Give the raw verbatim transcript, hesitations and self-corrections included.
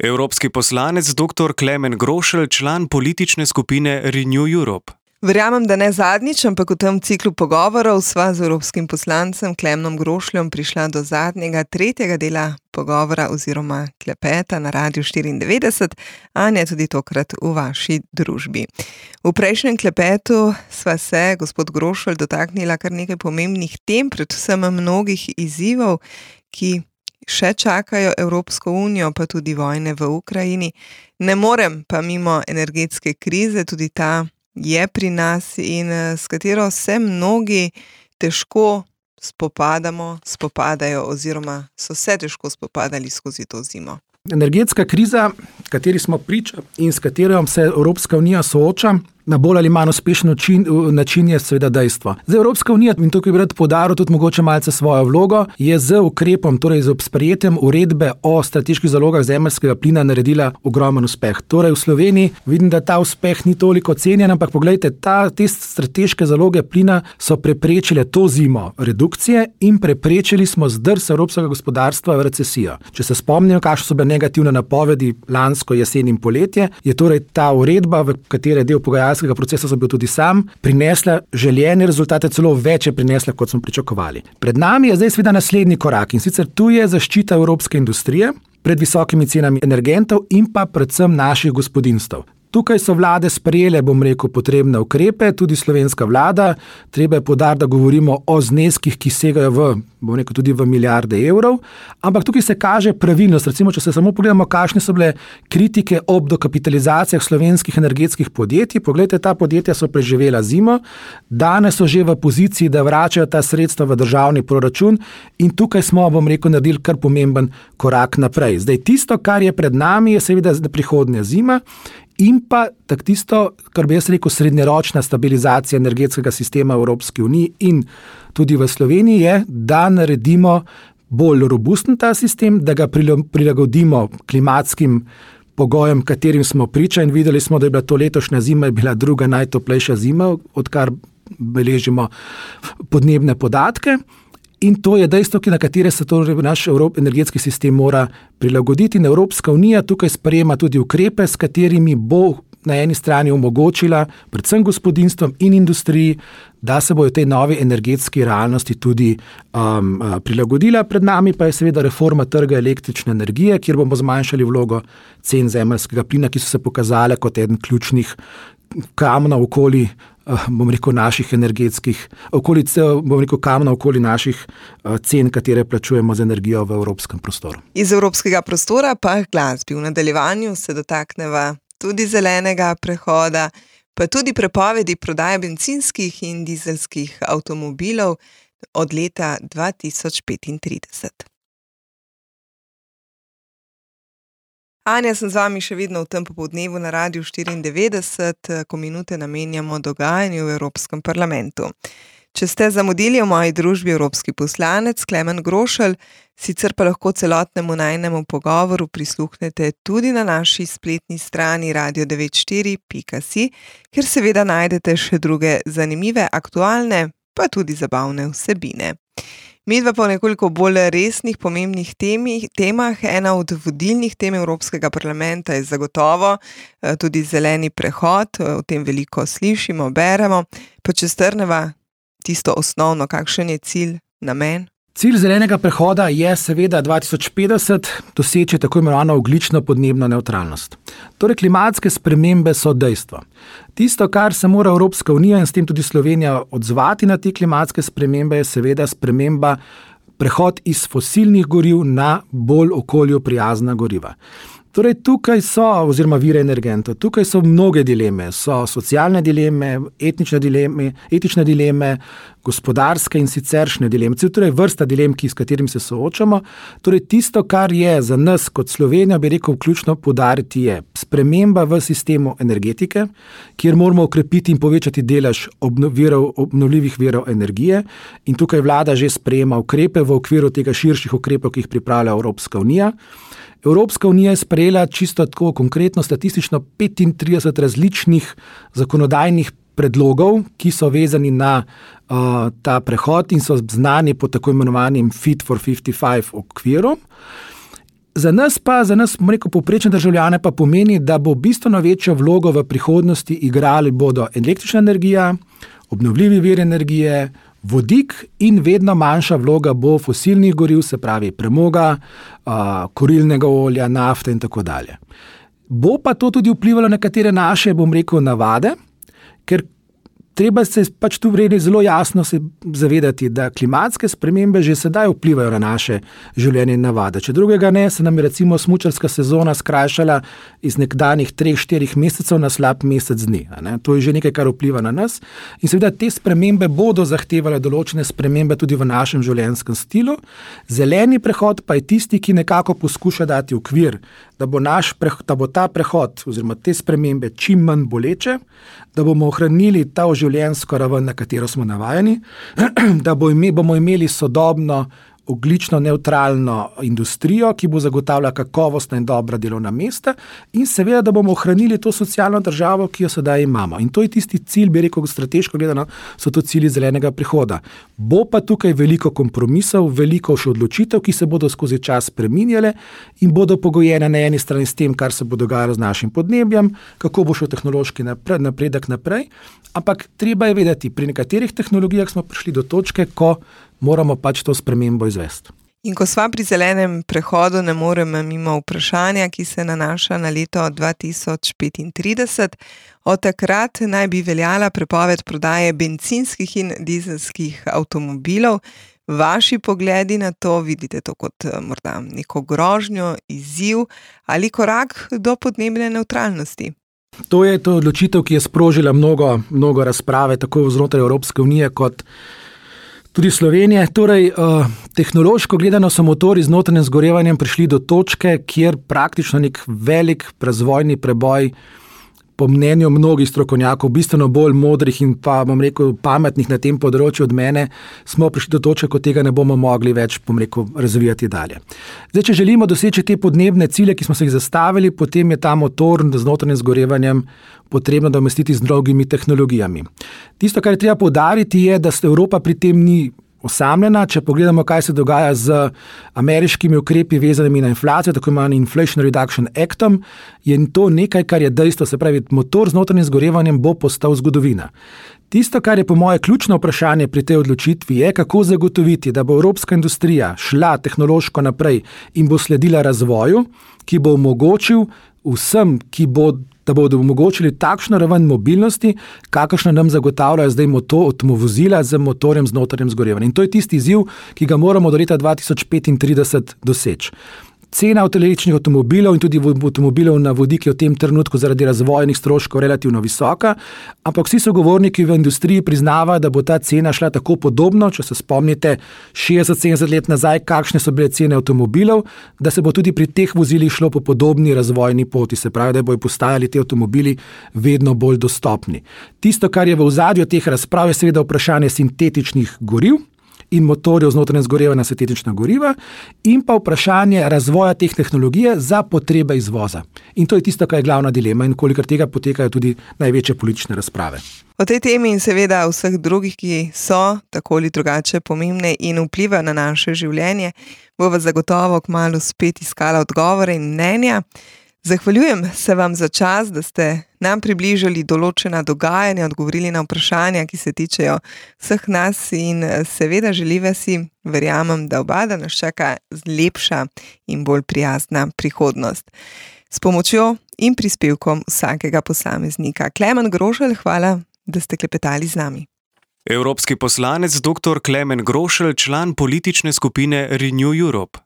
Evropski poslanec dr. Klemen Grošelj, član politične skupine Renew Europe. Verjamem, da ne zadnjič, ampak v tem ciklu pogovorov sva z evropskim poslancem Klemenom Grošeljem prišla do zadnjega, tretjega dela pogovora oziroma klepeta na Radiu štiriindevetdeset, Anja, tudi tokrat v vaši družbi. V prejšnjem klepetu sva se, gospod Grošelj, dotaknila kar nekaj pomembnih tem, predvsem mnogih izzivov, ki še čakajo Evropsko unijo, pa tudi vojne v Ukrajini. Ne morem pa mimo energetske krize, tudi ta je pri nas in s katero se mnogi težko spopadamo, spopadajo oziroma so se težko spopadali skozi to zimo. Energetska kriza, kateri smo priča in s katero se Evropska unija sooča, na bolj ali manj uspešen način, način je seveda dejstvo. Zdaj Evropska unija, in tukaj bi rad poudaril tudi mogoče malce svojo vlogo, je z ukrepom, torej z sprejetjem uredbe o strateških zalogah zemeljskega plina naredila ogromen uspeh. Torej v Sloveniji vidim, da ta uspeh ni toliko cenjen, ampak poglejte, ta, te strateške zaloge plina so preprečile to zimo redukcije in preprečili smo zdrs evropskega gospodarstva v recesijo. Če se spomnim, kakšne so bile negativne napovedi lansko jesen in poletje, je torej ta uredba, v kateri je del pogajalskega procesa sem bil tudi sam, prinesla željene rezultate, celo več je prinesla, kot smo pričakovali. Pred nami je zdaj seveda naslednji korak in sicer tu je zaščita evropske industrije pred visokimi cenami energentov in pa predvsem naših gospodinjstev. Tukaj so vlade sprejele, bom rekel, potrebne ukrepe, tudi slovenska vlada. Treba je poudariti, da govorimo o zneskih, ki segajo v, bom rekel, tudi v milijarde evrov, ampak tukaj se kaže pravilnost. Recimo, če se samo pogledamo, kakšne so bile kritike ob dokapitalizacijah slovenskih energetskih podjetij. Poglejte, ta podjetja so preživela zimo, danes so že v poziciji, da vračajo ta sredstva v državni proračun in tukaj smo, bom rekel, naredili kar pomemben korak naprej. Zdaj, tisto, kar je pred nami, je seveda prihodnja zima, in pa tak tisto, kar bi jaz rekel, srednjeročna stabilizacija energetskega sistema v Evropski uniji in tudi v Sloveniji je, da naredimo bolj robusten ta sistem, da ga prilagodimo klimatskim pogojem, katerim smo priča in videli smo, da je bila to letošnja zima, je bila druga najtoplejša zima, odkar beležimo podnebne podatke. In to je dejstvo, na katere se to naš energetski sistem mora prilagoditi. In Evropska unija tukaj sprejema tudi ukrepe, s katerimi bo na eni strani omogočila predvsem gospodinjstvom in industriji, da se bojo tej novi energetski realnosti tudi um, prilagodila. Pred nami pa je seveda reforma trga električne energije, kjer bomo zmanjšali vlogo cen zemeljskega plina, ki so se pokazale kot eden ključnih kamnov okoli bom rekel, naših energetskih, okoli, bom rekel, kamna okoli naših cen, katere plačujemo z energijo v evropskem prostoru. Iz evropskega prostora pa glasbi. V nadaljevanju se dotakneva tudi zelenega prehoda, pa tudi prepovedi prodaje bencinskih in dizelskih avtomobilov od leta dva tisoč petintrideset. Anja, sem z vami še vedno v tem popoldnevu na Radiu štiriindevetdeset, ko minute namenjamo dogajanju v Evropskem parlamentu. Če ste zamudili v moji družbi evropski poslanec Klemen Grošelj, sicer pa lahko celotnemu najnemu pogovoru prisluhnete tudi na naši spletni strani radio devet štiri pika si, kjer seveda najdete še druge zanimive, aktualne, pa tudi zabavne vsebine. Midva pa v nekoliko bolj resnih, pomembnih temi, temah. Ena od vodilnih tem Evropskega parlamenta je zagotovo tudi zeleni prehod, o tem veliko slišimo, beremo. Pa če strneva tisto osnovno, kakšen je cilj, namen? Cilj zelenega prehoda je seveda dva tisoč petdeset doseči tako imenovano ogljično podnebno nevtralnost. Torej klimatske spremembe so dejstvo. Tisto, kar se mora Evropska unija in s tem tudi Slovenija odzvati na te klimatske spremembe, je seveda sprememba, prehod iz fosilnih goriv na bolj okolju prijazna goriva. Torej tukaj so, oziroma vire energentov, tukaj so mnoge dileme, so socialne dileme, etnične dileme, etične dileme, gospodarske in siceršnje dileme, torej vrsta dilem, ki, s katerim se soočamo. Torej tisto, kar je za nas kot Slovenija, bi rekel, ključno poudariti je sprememba v sistemu energetike, kjer moramo okrepiti in povečati delež obno, virov, obnovljivih virov energije in tukaj vlada že sprejema ukrepe v okviru tega širših ukrepov, ki jih pripravlja Evropska unija. Evropska unija je sprejela čisto tako konkretno statistično petintrideset različnih zakonodajnih predlogov, ki so vezani na uh, ta prehod in so znani pod tako imenovanim Fit for petdeset pet okvirom. Za nas pa, za nas, bom rekel, povprečne državljane pa pomeni, da bo bistveno večjo vlogo v prihodnosti igrali bodo električna energija, obnovljivi viri energije, vodik in vedno manjša vloga bo fosilnih goriv, se pravi premoga, kurilnega olja, nafte in tako dalje. Bo pa to tudi vplivalo na nekatere naše, bom rekel, navade, ker treba se pač tu vredi zelo jasno se zavedati, da klimatske spremembe že sedaj vplivajo na naše življenje in navade. Če drugega ne, se nam je recimo smučarska sezona skrajšala iz nekdanjih treh, štirih mesecev na slab mesec dni. Ne? To je že nekaj, kar vpliva na nas. In seveda te spremembe bodo zahtevale določene spremembe tudi v našem življenjskem stilu. Zeleni prehod pa je tisti, ki nekako poskuša dati okvir, da bo, naš, da bo ta prehod oziroma te spremembe čim manj boleče, da bomo ohranili ta življenjsko raven, na katero smo navajeni, da bomo imeli sodobno, ogljično nevtralno industrijo, ki bo zagotavljala kakovostna in dobra delovna mesta in seveda, da bomo ohranili to socialno državo, ki jo sedaj imamo. In to je tisti cilj, bi rekel, strateško gledano, so to cilji zelenega prihoda. Bo pa tukaj veliko kompromisov, veliko še odločitev, ki se bodo skozi čas spreminjale in bodo pogojene na eni strani s tem, kar se bo dogajalo z našim podnebjem, kako bo šel tehnološki napredek naprej, ampak treba je vedeti, pri nekaterih tehnologijah smo prišli do točke, ko moramo pač to spremembo izvesti. In ko sva pri zelenem prehodu, ne moremo mimo vprašanja, ki se nanaša na leto dva tisoč petintrideset. Od takrat naj bi veljala prepoved prodaje bencinskih in dizelskih avtomobilov. Vaši pogledi na to, vidite to kot morda neko grožnjo, izziv ali korak do podnebne nevtralnosti? To je to odločitev, ki je sprožila mnogo, mnogo razprave, tako znotraj Evropske unije kot tudi Slovenije. Torej, uh, tehnološko gledano so motorji z notranjim zgorevanjem prišli do točke, kjer praktično nek velik razvojni preboj, po mnenju mnogih strokovnjakov, bistveno bolj modrih in pa, bom rekel, pametnih na tem področju od mene, smo prišli do točke, ko tega ne bomo mogli več, bom rekel, razvijati dalje. Zdaj, če želimo doseči te podnebne cilje, ki smo se jih zastavili, potem je ta motor z notranjim zgorevanjem potrebno domestiti z drugimi tehnologijami. Tisto, kar je treba poudariti, je, da se Evropa pri tem ni osamljena. Če pogledamo, kaj se dogaja z ameriškimi ukrepi vezanimi na inflacijo, tako imenovani Inflation Reduction Actom, je to nekaj, kar je dejstvo, se pravi, motor z notranjim zgorevanjem bo postal zgodovina. Tisto, kar je po moje ključno vprašanje pri tej odločitvi, je, kako zagotoviti, da bo evropska industrija šla tehnološko naprej in bo sledila razvoju, ki bo omogočil vsem, ki bo da bodo omogočili takšno raven mobilnosti, kakršno nam zagotavljajo zdaj motor, avtovozila z motorjem z notranjim zgorevanjem. In to je tisti izziv, ki ga moramo do leta dva tisoč petintrideset doseči. Cena električnih avtomobilov in tudi avtomobilov na vodik je v tem trenutku zaradi razvojnih stroškov relativno visoka, ampak vsi sogovorniki v industriji priznavajo, da bo ta cena šla tako podobno, če se spomnite šestdeset sedemdeset let nazaj, kakšne so bile cene avtomobilov, da se bo tudi pri teh vozilih šlo po podobni razvojni poti, se pravi, da bojo postajali ti avtomobili vedno bolj dostopni. Tisto, kar je v ozadju teh razprav, je seveda vprašanje sintetičnih goriv in motorjev z notranjim zgorevanjem na sintetična goriva in pa vprašanje razvoja teh tehnologije za potrebe izvoza. In to je tisto, kar je glavna dilema in kolikor tega potekajo tudi največje politične razprave. O tej temi in seveda vseh drugih, ki so tako ali drugače pomembne in vplivajo na naše življenje, bova zagotovo kmalu spet iskala odgovore in mnenja. Zahvaljujem se vam za čas, da ste nam približali določena dogajanja, odgovorili na vprašanja, ki se tičejo vseh nas in seveda želiva si, verjamem, da oba, da nas čaka lepša in bolj prijazna prihodnost. S pomočjo in prispevkom vsakega posameznika. Klemen Grošelj, hvala, da ste klepetali z nami. Evropski poslanec dr. Klemen Grošelj, član politične skupine Renew Europe.